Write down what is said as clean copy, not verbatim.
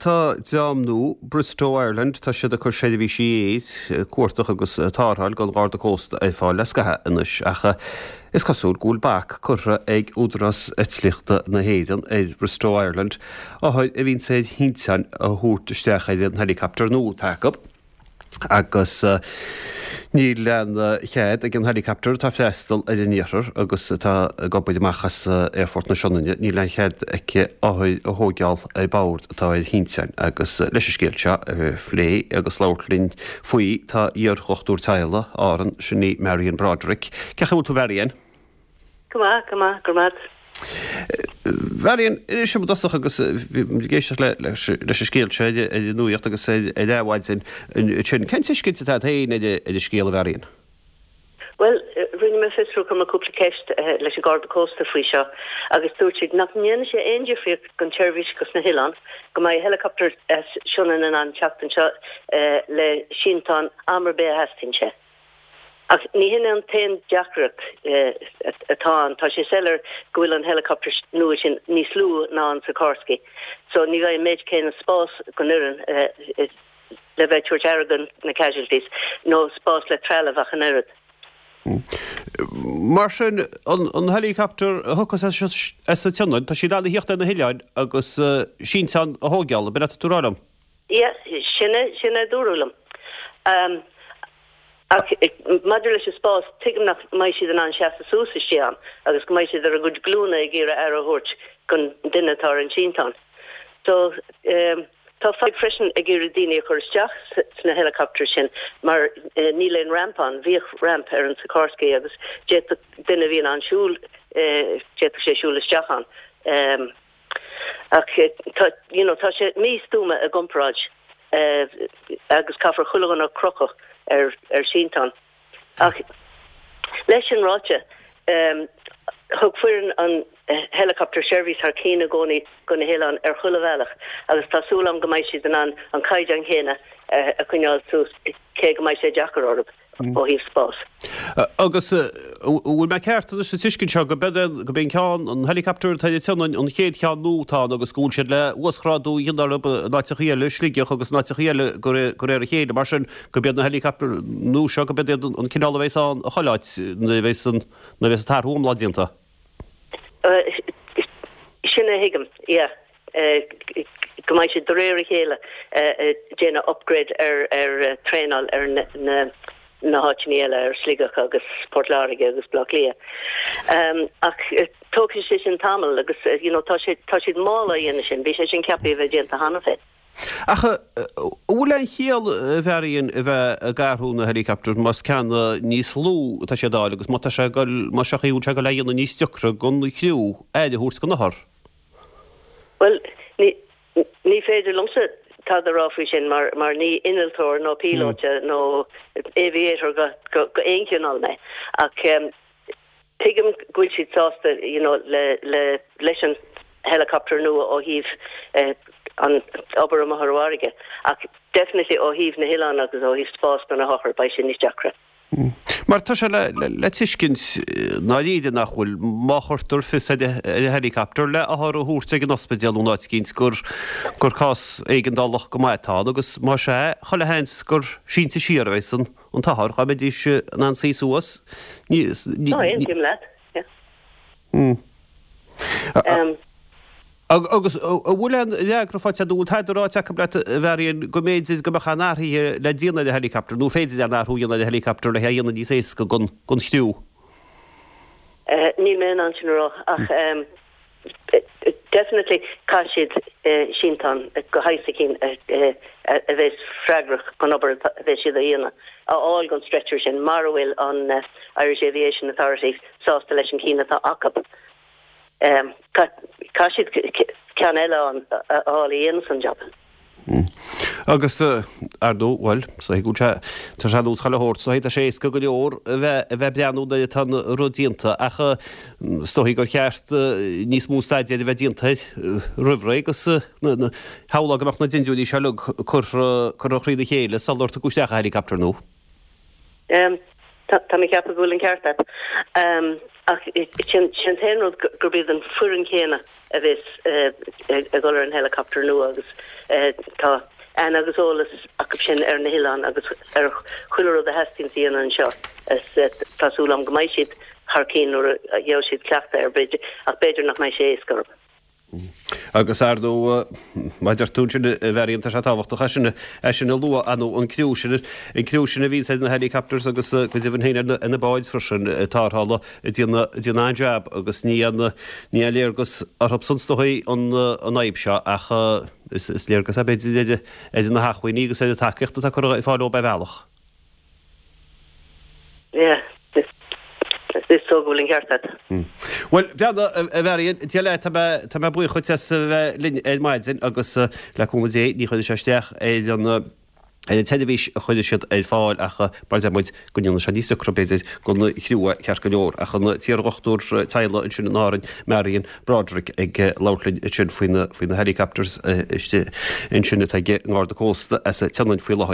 Tá dream nua, Bristow Ireland, tá siad ag cur seirbhísí aeir, cuardach agus tarrtháil don Gharda Cósta ar fáil le scaitheamh anois ach is cosúil go bhfuil bac curtha ag Údarás Eitlíochta na hÉireann ar Bristow Ireland othair a bhíonns ar shínteán a thabhairt isteach ar an helicopter nua atá acu. Agus níl aon chead ag an helicopter atá ag freastal ar an iarthar agus atá ag obair amach as Aerfort na Sionainne, níl aon chead aici othair a thóigeáil ar bord atá ar shínteán. Agus leis an scéal seo a phlé agus labhairt linn faoi tá iar-dhochtúir teaghlaigh Árann, sin í Marian Broderick. Cén chaoi a bhfuil tú Mharian? Go maith, go maith, go raibh maith agat. Mharian, inis dom i dtosach agus bhí muid ag éisteacht leis an scéal seo ar an nuaíocht agus ar Adhmhaidin ansin. Cén tuiscint atá agat féin ar an scéal, a Mharian? Bhuel, rinne mé fiosrú, chuir mé cúpla ceist leis an Garda Cósta faoi seo agus dúirt siad nach ndéanann sé aon difríocht don tseirbhís dos na hoileáin, go mbeidh helicopter as Sionainn in ann teacht anseo le sínteán am ar bith a theastaíonn sé. Ach ní hin an t-aon deacracht atá ann. Tá sé soiléir go bhfuil an helicopter nua sin níos lú ná an Sikorsky so ní bheidh an méid céanna spás don fhoireann le bheith ag tabhairt aire do na casualties nó spás le trealamh ach an oiread. Mar sin, an helicopter a thiocfas as an tSionainn, tá sí in ann a thíocht ar na hoileáin agus sínteán a thóigeáil, ab in atá tú a rá liom? Yeah, sin é, sin é a dúradh liom. Ach maidir leis an spás, tuigim nach mbeidh siad in ann seasamh suas istigh ann agus go mbeidh siad ar a gcuid glúine ag iarraidh aire a thabhairt don duine atá ar an sínteán. So, tá fadhb freisin ag iarraidh daoine a chur isteach sna helicopters sin mar níl aon ramp ann. Bhíodh ramp ar an Sikorsky agus d'fhéadfadh duine a bhí in ann siúl, d'fhéadfadh sé siúl isteach ann. Ach tá, you know, tá sé místuama i gcomparáid agus caithfear chuile dhuine a chrochadh ar ar sínteán. Ach leis sin ráite, thug foireann an helicopter seirbhís thar cinn i gcónaí do na hoileáin ar chuile bhealach agus tá súil agam go mbeidh siad in ann an caighdeán chéanna a choinneáil suas cé go mbeidh sé deacair orthu. ó thaobh spáis. Agus an bhfuil mé ceart anois sa tuiscint seo go b'é an ceann, an helicopter atá ar an tSionainn, an chéad cheann nua atá ann agus go bhfuil siad le uasghrádú a dhéanamh orthu in áiteachaí eile, Sligeach agus in áiteachaí eile de réir a chéile. Mar sin, go b'iad na helicopter nua seo, go b'iad iad an cineál a bheas ann i chuile áit nuair a bheas an, nuair a bheas an t-athrú iomlán déanta. Sin a thuigim, yeah. Go mbeidh siad de réir a chéile ag déanamh upgrade ar ar traenáil ar na na háiteanna eile, ar Sligeach agus Port Láirge agus Baile Átha Cliath. Ach tógfaidh sé sin tamall agus you know tá sé tá siad mall á dhéanamh sin, bhí sé sin ceaptha a bheith déanta cheana féin. Ach an bhfuil aon chiall, a Mharian, a bheith ag athrú na helicopters más ceann níos lú atá siad a fháil agus má tá sé ag dul, más ea, bhfuil sé ag dul a dhéanamh níos deacra don chriú aire a thabhairt don othar? Bhuel, ní, ní féidir liomsa tada a rá faoi sin mar, mar ní innealtóir nó píolóta nó aviator go, go, go aon chineál mé. Ach tuigim go bhfuil siad sásta, you know, le, le, leis an helicopter nua ó thaobh an obair amuigh ar an bhfarraige. Ach definitely ó thaobh na hoileán agus ó thaobh spás do na hothair, beidh sé níos deacra. Mar tá sé le tuiscint i ndáiríre nach bhfuil, má chuirtear fios ar an helicopter le othar a thabhairt ag an ospidéal nó in áit eicínt gur gur cás éigeandálach go maith atá ann agus más ea, chuile sheans gur sínte siar a bheas an t-othar, dá mbeidís in ann suí suas. Ní, ní, Aontaím leat, yeah. Agus an bhfuil aon fhreagra faighte agat, nó an bhfuil tada ráite acu leat, a Mharian, go mb'fhéidir go mbeadh aon athruithe le déanamh ar an helicopter, nó féidir aon athrú a dhéanamh ar an helicopter le é a dhéanamh níos éasca don chriú? Níl mé in ann sin a rá, ach definitely caithfidh siad sínteán de shaghas eicínt a bheas freagrach don obair a bheas siad a dhéanamh, a fháil don stretcher sin, mara bhfuil an Irish Aviation Authority sásta leis an cinn atá acu. Caithfidh siad ceann eile a fháil a dhéanfas an jab. Agus, ar ndóigh, bhuel, is dóichí go bhfuil sé, tá sé ar nós chuile shórt, is dóichí tá sé éasca go leor a bheith, a bheith ag breathnú nuair atá an rud déanta ach is dóichí gur cheart níos mó staidéir a bheith déanta air roimh ré agus shamhlófá go mbeadh na dindiúirí seo uilig curtha, curtha thrína chéile sular tugadh isteach an helicopter nua. Tá mé ag ceapadh go bhfuil an ceart agat. Ach sin an t-aon rud gurb iad an foireann chéanna a bheas ag dul ar an helicopter nua agus tá aithne agus eolas acu sin ar na hoileáin agus ar chuile rud a theastaíonn a dhéanamh anseo. Tá súil agam go mbeidh siad thar cinn nuair a gheobhaidh siad cleachtadh air b'fhéidir ach b'fhéidir nach mbeidh sé éasca orthu. Agus ar ndóigh, mar a deir tú ansin, a Mharion, tá sé tábhachtach é sin, é sin a lua, ar ndóigh, an criú sin, an criú sin a bhíonns ar na helicopters agus go deimhin féin ar na báid freisin, tarrthála, ag déanamh, ag déanamh an-jab agus ní aon, ní aon léargas orthu san is dóigh an, an fhadhb seo ach is, is léargas é b'fhéidir ar, ar na hacmhainní agus ar an tacaíocht atá curtha ar fáil dóibh ar bhealach. Yeah, is dóigh go bhfuil an ceart agat. Bhuel, breathnaigh, a Mharion, Dia leat, tá mé, tá mé buíoch dhuit as a bheith linn ar maidin agus le cúnamh Dé ní chuirfidh sé isteach ar an, ar an tseirbhís a chuirfidh siad ar fáil ach mar a deir muid, go ndéanfaidh sé níos deacra b'fhéidir don chriú é ceart go leor. Ach an t-iardhochtúir teaghlaigh ansin in Árainn, Marion Broderick ag labhairt linn ansin faoi na, faoi na helicopters istigh ansin atá ag an nGarda Cósta as an tSionainn faoi láthair.